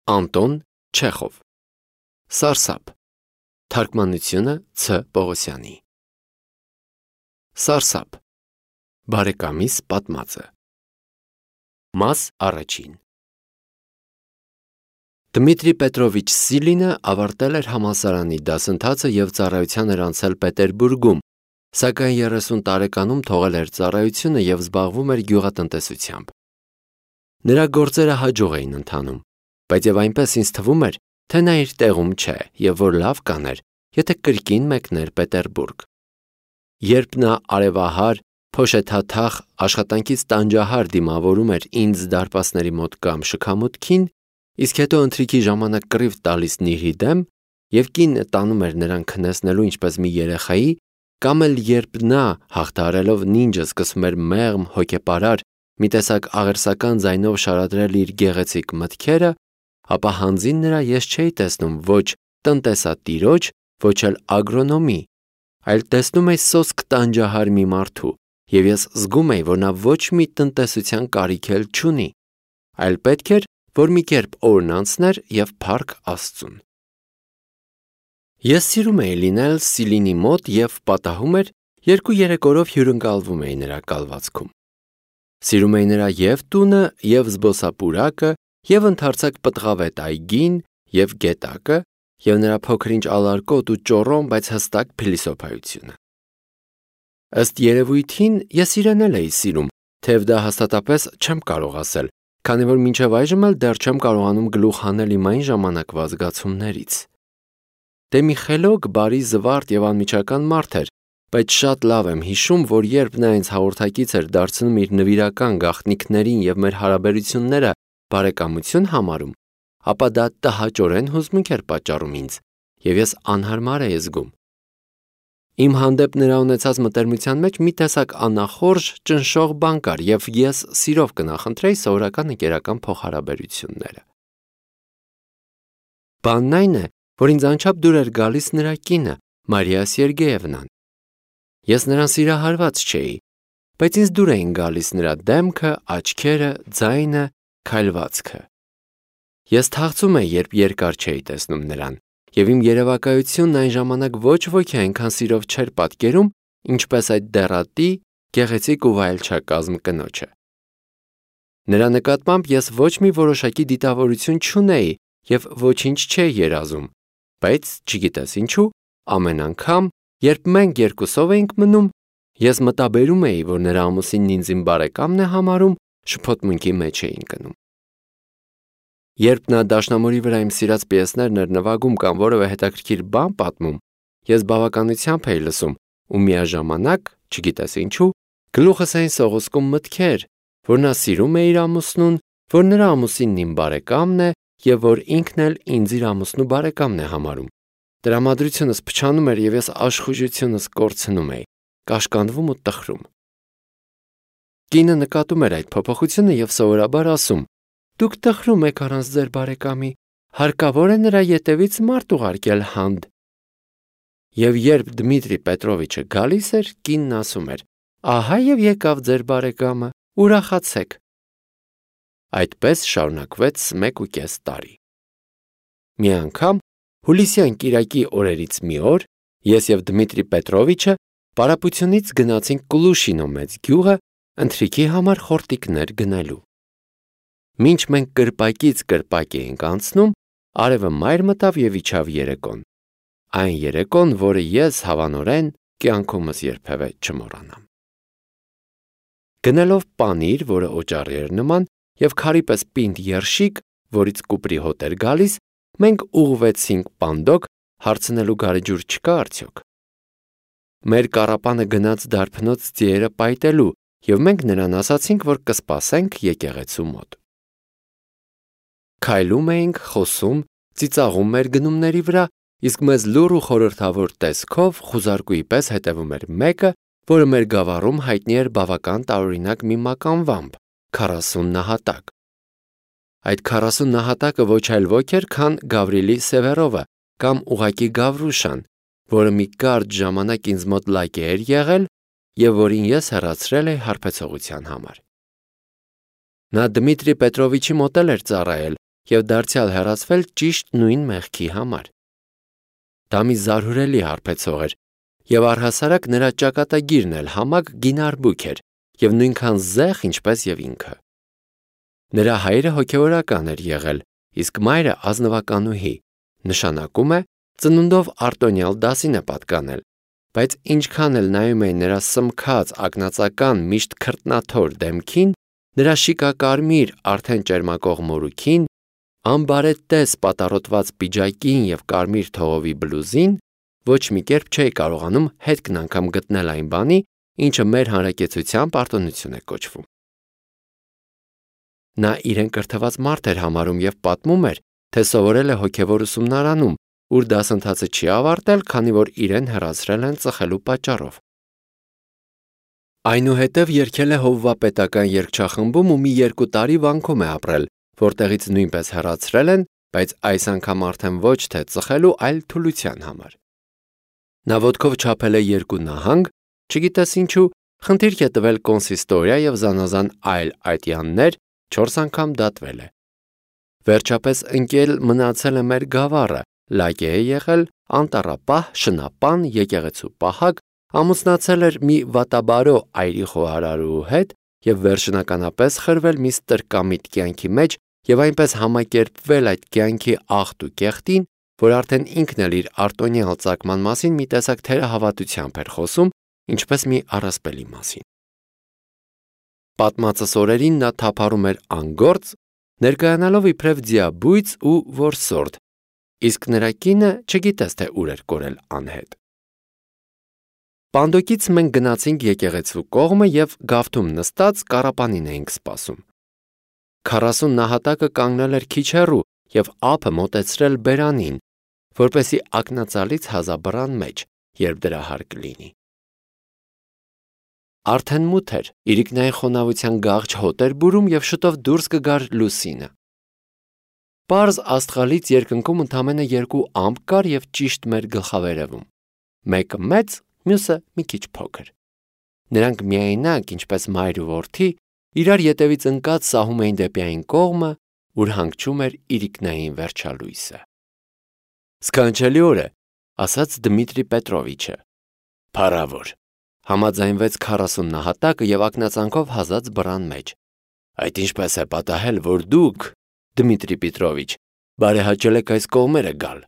Անտոն Չեխով Սարսափ Թարգմանությունը Ց. Պողոսյանի Սարսափ Բարեկամիս պատմածը Մաս առաջին Դմիտրի Պետրովիչ Սիլինը ավարտել էր համալսարանի դասընթացը և ծառայության էր անցել Պետերբուրգում, սակայն 30 տարեկանում թողել էր ծառայությունը և զբաղվում էր գյուղատնտեսությամբ։ Նրա գործերը հաջող էին ընթանում, բայց և այնպես ինձ թվում էր, թե նա իր տեղում չէ և որ լավ կաներ, եթե կրկին մեկներ Պետերբուրգ։ Երբ նա արևահար, փոշեթաթախ, աշխատանքից տանջահար դիմավորում էր ինձ դարպասների մոտ կամ շքամուտքին, իսկ հետո ընթրիքի ժամանակ կռիվ տալիս Նիրհի դեմ և կինը տանում էր նրան քնեցնելու ինչպես մի երեխայի, կամ էլ երբ նա հաղթահարելով նինջը սկսում էր մեղմ, հոգեպարար, մի տեսակ աղերսական ձայնով շարադրել իր գեղեցիկ մտքերը, ապա հանձին նրա ես չէի տեսնում ոչ տնտեսատիրոջ, ոչ էլ ագրոնոմի, այլ տեսնում էի սոսկ տանջահար մի մարդու, և ես զգում էի, որ նա ոչ մի տնտեսության կարիք էլ չունի, այլ պետք էր, որ մի կերպ օրն անցներ և փառք Աստծուն։ Ես սիրում էի լինել Սիլինի մոտ և պատահում էր, 2-3 օրով հյուրընկալվում էի նրա կալվածքում։ Սիրում էի նրա և տունը, և զբոսապուրակը, և ընդարձակ պտղավետ այգին, և գետակը, և նրա փոքր-ինչ ալարկոտ ու ճոռոմ, բայց հստակ փիլիսոփայությունը։ Ըստ երևույթին, ես իրեն էլ էի սիրում, թեև դա հաստատապես չեմ կարող ասել, քանի որ մինչև այժմ էլ դեռ չեմ կարողանում գլուխ հանել իմ այն ժամանակվա զգացումներից։ Դե մի խելոք, բարի, զվարթ և անմիջական մարդ էր, բայց շատ լավ եմ հիշում, որ երբ նա ինձ հաղորդակից էր դարձնում իր նվիրական գաղտնիքներին և մեր հարաբերությունները բարեկամություն համարում, ապա դա տհաճորեն հուզմունք էր պատճառում ինձ, և ես անհարմար էի զգում։ Իմ հանդեպ նրա ունեցած մտերմության մեջ մի տեսակ անախորժ, ճնշող բան կար, և ես սիրով կնախընտրեի սովորական ընկերական փոխհարաբերությունները։ Բանն այն է, որ ինձ անչափ դուր էր գալիս նրա կինը, Մարիա Սերգեևնան։ Ես նրան սիրահարված չէի, բայց ինձ դուր էին գալիս նրա դեմքը, աչքերը, ձայնը, քայլվածքը։ Ես թախծում էի, երբ երկար չէի տեսնում նրան, և իմ երևակայությունն այն ժամանակ ոչ ոքի այնքան սիրով չէր պատկերում, ինչպես այդ դեռատի, գեղեցիկ ու վայելչակազմ կնոջը։ Նրա նկատմամբ ես ոչ մի որոշակի դիտավորություն չունեի և ոչինչ չէի երազում, բայց, չգիտես ինչու, ամեն անգամ, երբ մենք երկուսով էինք մնում, ես մտաբերում էի, որ նրա ամուսինն ինձ իմ բարեկամն է համարում, շփոթմունքի մեջ էի ընկնում։ Երբ նա դաշնամուրի վրա իմ սիրած պիեսներն էր նվագում կամ որևէ հետաքրքիր բան պատմում, ես բավականությամբ էի լսում ու միաժամանակ, չգիտես ինչու, գլուխս էին սողոսկում մտքեր, որ նա սիրում է իր ամուսնուն, որ նրա ամուսինն իմ բարեկամն է և որ ինքն էլ ինձ իր ամուսնու բարեկամն է համարում։ Տրամադրությունս փչանում էր և ես աշխուժությունս կորցնում էի, կաշկանդվում ու տխրում։ Կինը նկատում էր այդ փոփոխությունը և սովորաբար ասում. «Դուք տխրում եք առանց ձեր բարեկամի, հարկավոր է նրա ետևից մարդ ուղարկել հանդ»։ Եվ երբ Դմիտրի Պետրովիչը գալիս էր, կինն ասում էր. «Ահա և եկավ ձեր բարեկամը, ուրախացեք»։ Այդպես շարունակվեց 1.5 տարի։ Մի անգամ, հուլիսյան կիրակի օրերից մի օր, ես և Դմիտրի Պետրովիչը պարապությունից գնացինք Կլուշինո մեծ գյուղը ընթրիքի համար խորտիկներ գնելու։ Մինչ մենք կրպակից կրպակ էինք անցնում, արևը մայր մտավ և իջավ երեկոն։ Այն երեկոն, որը ես հավանորեն կյանքումս երբևէ չմոռանամ։ Գնելով պանիր, որը օճառի էր նման, և քարի պես պինդ երշիկ, որից կուպրի հոտ էր գալիս, մենք ուղղվեցինք Պանդոկ, հարցնելու գարեջուր չկա՞ արդյոք։ Մեր կառապանը գնաց դարբնոց ձիերը պայտելու, և մենք նրան ասացինք, որ կսպասենք եկեղեցու մոտ։ Քայլում էինք, խոսում, ծիծաղում մեր գնումների վրա, իսկ մեզ լուռ ու խորհրդավոր տեսքով խուզարկուի պես հետևում էր մեկը, որը մեր գավառում հայտնի էր բավական տարօրինակ մի մականվամբ՝ 40 նահատակ։ Այդ 40 նահատակը ոչ այլ ոք էր, քան Գավրիլի Սևերովը կամ ուղղակի Գավրուշան, որը մի կարճ ժամանակ ինձ մոտ լակե էր եղել և որին ես հեռացրել էի հարբեցողության համար։ Նա Դմիտրի Պետրովիչի մոտ էլ էր ծառայել և դարձյալ հեռացվել ճիշտ նույն մեղքի համար։ Դա մի զարհուրելի հարբեցող էր, և առհասարակ նրա ճակատագիրն էլ համակ գինարբուք էր և նույնքան զեղ, ինչպես և ինքը։ Նրա հայրը հոգևորական էր եղել, իսկ մայրը ազնվականուհի, նշանակում է ծնունդով արտոնյալ դասին է պատկանել, բայց ինչքան էլ նայում էին նրա սմքած ակնածական միշտ քրտնաթոր դեմքին, նրա շիկակարմիր արդեն ճերմակող մորուքին, անբարետես պատառոտված պիջակին և կարմիր թողովի բլուզին, ոչ մի կերպ չէի կարողանում հետքն անգամ գտնել այն բանի, ինչը մեր հանրակեցությամբ արտոնություն է կոչվում։ Նա իրեն կրթված մարդ էր համարում և պատմում էր, թե սովորել է հոգևոր ուսումնարանում, ուր դասընթացը չի ավարտել, քանի որ իրեն հեռացրել են ծխելու պատճառով։ Այնուհետև երգել է հովվապետական երգչախմբում ու մի 2 տարի վանքում է ապրել, որտեղից նույնպես հեռացրել են, բայց այս անգամ արդեն ոչ թե ծխելու, այլ թուլության համար։ Նա ոտքով չափել է 2 նահանգ, չգիտես ինչու, խնդիրք է տվել կոնսիստորիա և զանազան այլ ատյաններ, 4 անգամ դատվել է։ Վերջապես ընկել մնացել է մեր գավառը, լագե է եղել, անտառապահ, շնապան, եկեղեցու պահակ, ամուսնացել էր մի վատաբարո այրի խոհարարու հետ և վերջնականապես խրվել մի ստրկամիտ կյանքի մեջ և այնպես համակերպվել այդ կյանքի աղտ ու կեղտին, որ արդեն ինքն էլ իր արտոնյալ ծագման մասին մի տեսակ թերահավատությամբ էր խոսում, ինչպես մի առասպելի մասին։ Պատմածս օրերին նա թափառում էր անգործ, ներկայանալով իբրև ձիաբույծ ու որսորդ, իսկ նրա կինը չգիտես թե ուր էր կորել անհետ։ Պանդոկից մենք գնացինք եկեղեցու կողմը և գավթում նստած կառապանին էինք սպասում։ 40 նահատակը կանգնել էր քիչ հեռու և ափը մոտեցրել բերանին, որպեսզի ակնածալից հազաբռան մեջ, երբ դրա հարկ լինի։ Արդեն մութ էր, իրիկնային խոնավության գաղջ հոտ էր բուրում և շուտով դուրս կգար լուսինը։ Պարզ աստղալից երկնքում ընդամենը 2 ամպ կար և ճիշտ մեր գլխավերևում։ Մեկը մեծ, մյուսը մի քիչ փոքր։ Նրանք միայնակ, ինչպես մայր ու որդի, իրար ետևից ընկած սահում էին դեպի այն կողմը, ուր հանգչում էր իրիկնային վերջալույսը։ «Սքանչելի օր է», ասաց Դմիտրի Պետրովիչը։ «Փառավոր», համաձայնվեց 40 նահատակը և ակնածանքով հազաց բռան մեջ։ «Այդ ինչպես է պատահել, որ դուք, Դմիտրի Պետրովիչ, բարեհաճել եք այս կողմերը գալ»,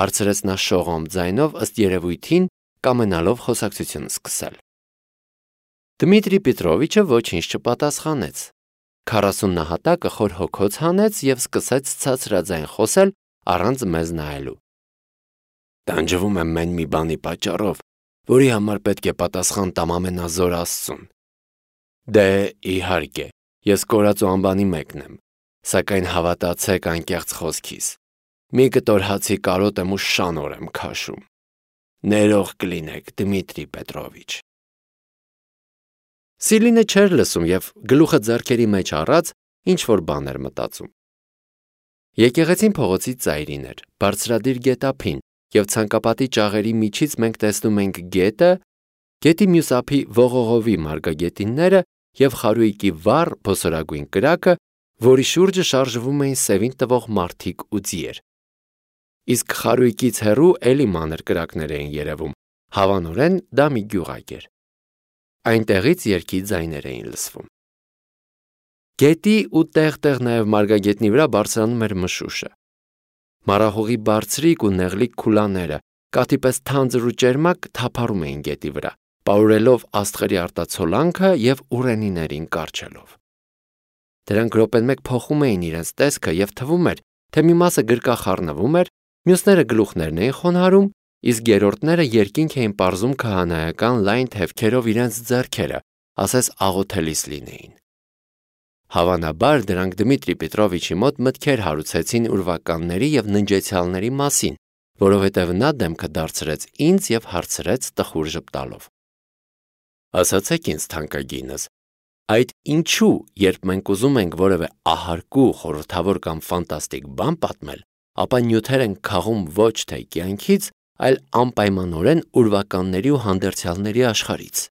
հարցրեց նա շողոմ ձայնով, ըստ երևույթին կամենալով խոսակցություն սկսել։ Դմիտրի Պետրովիչը ոչինչ չպատասխանեց։ 40 նահատակը խոր հոգոց հանեց և սկսեց ցածրաձայն խոսել առանց մեզ նայելու։ «Տանջվում եմ մեն մի բանի պատճառով, որի համար պետք է պատասխան տամ ամենազոր Աստծուն։ Դե, իհարկե, ես կորած ու անբանի մեկն եմ, սակայն հավատացեք անկեղծ խոսքիս, մի կտոր հացի կարոտ եմ ու շանոր եմ քաշում։ Ներող կլինեք, Դմիտրի Պետրովիչ»։ Սիլինը չէր լսում և գլուխը ձեռքերի մեջ առած ինչ-որ բան էր մտածում։ Եկեղեցին փողոցի ծայրին էր, բարձրադիր գետափին, և ցանկապատի ճաղերի միջից մենք տեսնում ենք գետը, գետի մյուս ափի ողողովի մարգագետինները և խարույկի վառ բոսորագույն կրակը, որի շուրջը շարժվում էին սևին տվող մարդիկ ու ձիեր։ Իսկ խարույկից հեռու էլի մանր կրակներ էին երևում, հավանորեն դա մի գյուղակ էր։ Այնտեղից երգի ձայներ էին լսվում։ Գետի ու տեղ-տեղ նաև մարգագետնի վրա բարձրանում էր մշուշը։ Մառախուղի բարձրիկ ու նեղլիկ քուլաները, կաթի պես թանձր ու ճերմակ, թափառում էին գետի վրա, պարուրելով աստղերի արտացոլանքը և ուռենիներին կառչելով։ Դրանք րոպեն մեկ փոխում էին իրենց տեսքը և թվում էր, թե մի մասը գրկախառնվում էր, մյուսները գլուխներն էին խոնարհում, իսկ երրորդները երկինք էին պարզում քահանայական լայն թևքերով իրենց ձեռքերը, ասես աղոթելիս լինեին։ Հավանաբար դրանք Դմիտրի Պետրովիչի մոտ մտքեր հարուցեցին ուրվականների և ննջեցյալների մասին, որովհետև նա դեմքը դարձրեց ինձ և հարցրեց տխուր ժպտալով. «Ասացեք ինձ, թանկագինս, այդ ինչու, երբ մենք ուզում ենք որևէ ահարկու, խորհրդավոր կամ ֆանտաստիկ բան պատմել, ապա նյութեր ենք քաղում ոչ թե կյանքից, այլ անպայմանորեն ուրվականների ու հանդերձյալների աշխարհից։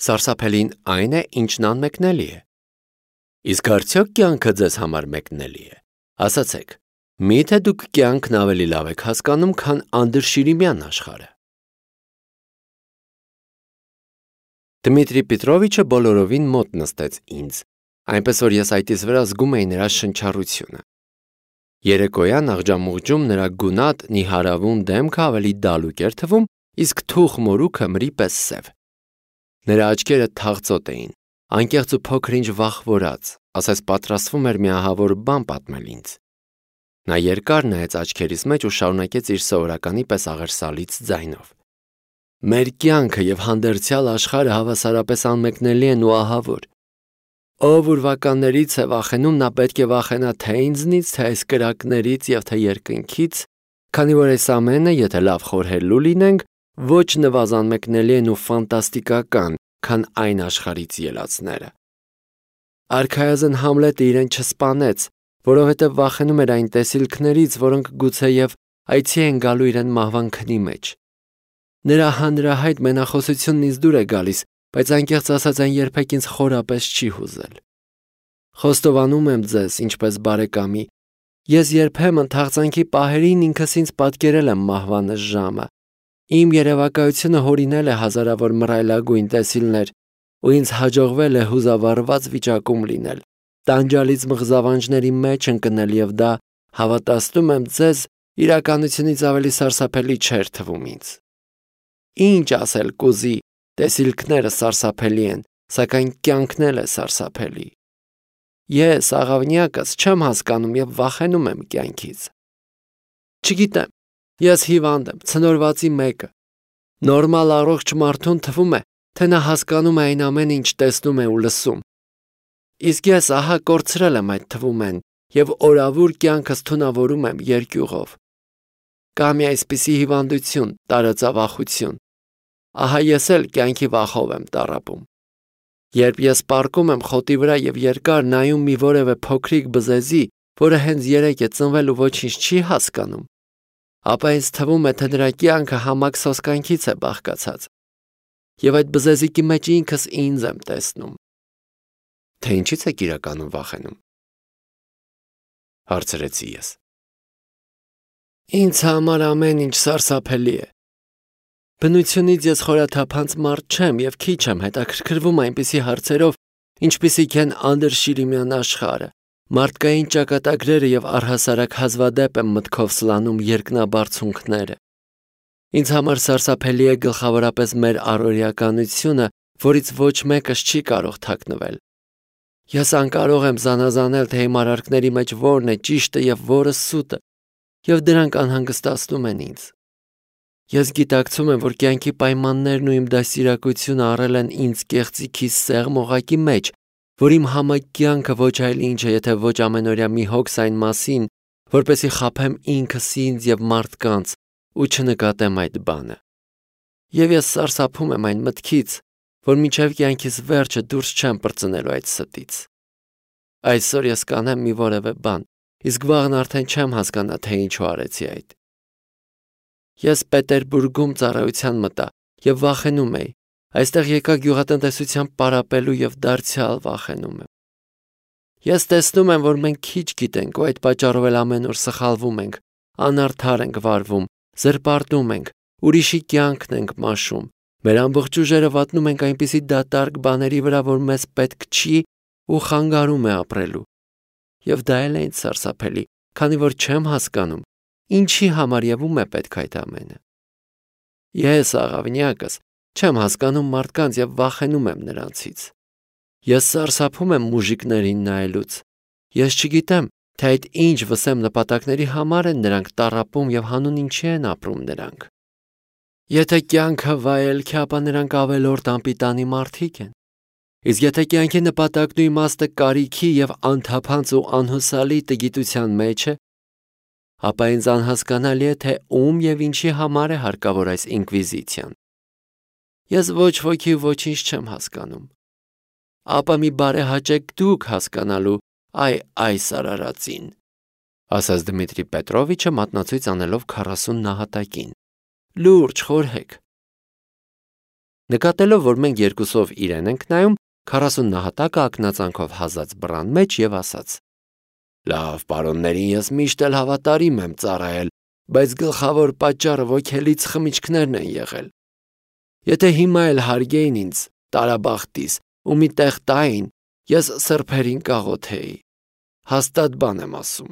Սարսափելին այն է, ինչն անմեկնելի է։ Իսկ արդյոք կյանքը ձեզ համար մեկնելի է։ Ասացեք, միթե դուք կյանքն ավելի լավ եք հասկանում, քան Անդրշիրիմյան աշխարհը։ Դմիտրի Պետրովիչը բոլորովին մոտ նստեց ինձ, այնպես որ ես այդից վրա զգում էի նրա շնչառությունը։ Երեկոյան աղջամուղջում նրա գունատ, նիհարավուն դեմքը ավելի դալուկ էր թվում, իսկ թուխ մորուքը մրի պես սև։ Նրա աչքերը թաղծոտ էին, անկեղծ ու փոքր-ինչ վախվորած, ասես պատրաստվում էր մի ահավոր բան պատմել ինձ։ Նա երկար նայեց աչքերիս մեջ ու շարունակեց իր սովորականի պես աղերսալից ձայնով. Մեր կյանքը եւ հանդերձյալ աշխարհը հավասարապես անմեկնելի են ու ահավոր։ Ով ուրվականներից է վախենում, նա պետք է վախենա թե ինձնից, թե այս կրակներից եւ թե երկնքից, քանի որ այս ամենը, եթե լավ խորհելու լինենք, ոչ նվազան մեկնելի են ու ֆանտաստիկական, քան այն աշխարհից ելածները։ Արքայազն Համլետը իրեն չսպանեց, որովհետև վախենում էր այն տեսիլքներից, որոնք գուցեև այցի են գալու իրեն մահվան քնի մեջ։ Նրա հանրահայտ մենախոսությունն ինձ դուր է գալիս, բայց անկեղծ ասած այն երբեք ինձ խորապես չի հուզել։ Խոստովանում եմ ձեզ, ինչպես բարեկամի, ես երբեմն թաղծանքի պահերին ինքս ինձ պատկերել եմ մահվանս ժամը։ Իմ երևակայությունը հորինել է հազարավոր մռայլագույն տեսիլներ, ու ինձ հաջողվել է հուզավառված վիճակում լինել, տանջալից մղզավանջների մեջ ընկնել եւ դա, հավատացնում եմ ձեզ, իրականությունից ավելի սարսափելի չէր թվում ինձ։ Ինչ ասել կուզի, տեսիլքները սարսափելի են, սակայն կյանքն էլ է սարսափելի։ Ես աղավնյակս չեմ հասկանում եւ վախենում եմ կյանքից։ Չգիտեմ, ես հիվանդ եմ, ցնորվածի մեկը։ Նորմալ առողջ մարդուն թվում է, թե նա հասկանում է այն ամենը, ինչ տեսնում է ու լսում։ Իսկ ես ահա կորցրել եմ այդ թվում են եւ օրավուր կյանքս թունավորում եմ երկյուղով։ Կա մի այսպիսի հիվանդություն, տարածավախություն։ Ահա ես էլ կյանքի վախով եմ տառապում։ Երբ ես պառկում եմ խոտի վրա եւ երկար նայում մի որևէ փոքրիկ բզեզի, որը հենց երեկ է ծնվել ու ոչինչ չի հասկանում, ապա ինձ թվում է, թե նրա կյանքը համակ սոսկանքից է բաղկացած։ Եվ այդ բզեզիկի մեջ ինքս ինձ եմ տեսնում։ Թե ինչից եք իրականում վախենում, հարցրեցի ես։ Ինձ համար ամեն ինչ սարսափելի է։ Բնությունից ես խորաթափանց մարդ չեմ եւ քիչ եմ հետաքրքրվում այնպիսի հարցերով, ինչպիսիք են Անդրշիրիմյան աշխարհը, մարդկային ճակատագրերը եւ առհասարակ հազվադեպ եմ մտքով սլանում երկնաբարձունքները։ Ինձ համար սարսափելի է գլխավորապես մեր առօրյականությունը, որից ոչ մեկս չի կարող թաքնվել։ Ես անկարող եմ զանազանել, թե իմ արարքների մեջ որն է ճիշտը եւ որը սուտը, եւ դրանք անհանգստացնում են ինձ։ Ես գիտակցում եմ, որ կյանքի պայմաններն ու իմ դաստիարակությունը առել են ինձ կեղծիքիս սեղմ օղակի մեջ, որ իմ համակ կյանքը ոչ այլ ինչ է, եթե ոչ ամենօրյա մի հոգս այն մասին, որպեսզի խաբեմ ինքս ինձ եւ մարդկանց ու չնկատեմ այդ բանը։ Եվ ես սարսափում եմ այն մտքից, որ մինչև կյանքիս վերջը դուրս չեմ պրծնելու այդ ստից։ Այսօր ես կանեմ մի որևէ բան, իսկ վաղն արդեն չեմ հասկանա, թե ինչու արեցի այդ։ Ես Պետերբուրգում ծառայության մտա եւ վախենում էի։ Այստեղ եկա գյուղատնտեսությամբ պարապելու եւ դարձյալ վախենում եմ։ Ես տեսնում եմ, որ մենք քիչ գիտենք ու այդ պատճառով էլ ամեն օր սխալվում ենք, անարդար ենք վարվում, զրպարտում ենք, ուրիշի կյանքն ենք մաշում։ Մեր ամբողջ ուժերը վատնում ենք այնպիսի դատարկ բաների վրա, որ մեզ պետք չի ու խանգարում է ապրելու։ Եվ դա էլ է ինձ սարսափելի, քանի որ չեմ հասկանում, ինչի համար եւ ում է պետք այդ ամենը։ Ես աղավնյակս չեմ հասկանում մարդկանց եւ վախենում եմ նրանցից։ Ես սարսափում եմ մուժիկներին նայելուց։ Ես չգիտեմ, թե այդ ինչ վսեմ նպատակների համար են նրանք տառապում եւ հանուն ինչի են ապրում նրանք։ Եթե կյանքը վայելք է, ապա նրանք ավելորդ անպիտանի մարդիկ են։ Իսկ եթե կյանքի նպատակն ու իմաստը կարիքի եւ անթափանց ու անհուսալի տգիտության մեջ է, ապա ինձ անհասկանալի է, թե ում եւ ինչի համար է հարկավոր այս ինկվիզիցիան։ Ես ոչ ոքի ոչինչ չեմ հասկանում։ Ապա մի բարեհաճեք դուք հասկանալու այս արարածին, ասաց Դմիտրի Պետրովիչը մատնացույց անելով 40 նահատակին։ Լուրջ խորհեք։ Նկատելով, որ մենք երկուսով իրեն ենք նայում, 40 նահատակը ակնածանքով հազաց բռան մեջ եւ ասաց. Լավ, պարոններին ես միշտ էլ հավատարիմ եմ ծառայել, բայց գլխավոր պատճառը ոգելից խմիչքներն են եղել։ Եթե հիմա էլ հարգեին ինձ տարաբախտիս ու մի տեղ տային, ես սրբերին կաղոթեի։ Հաստատ բան եմ ասում։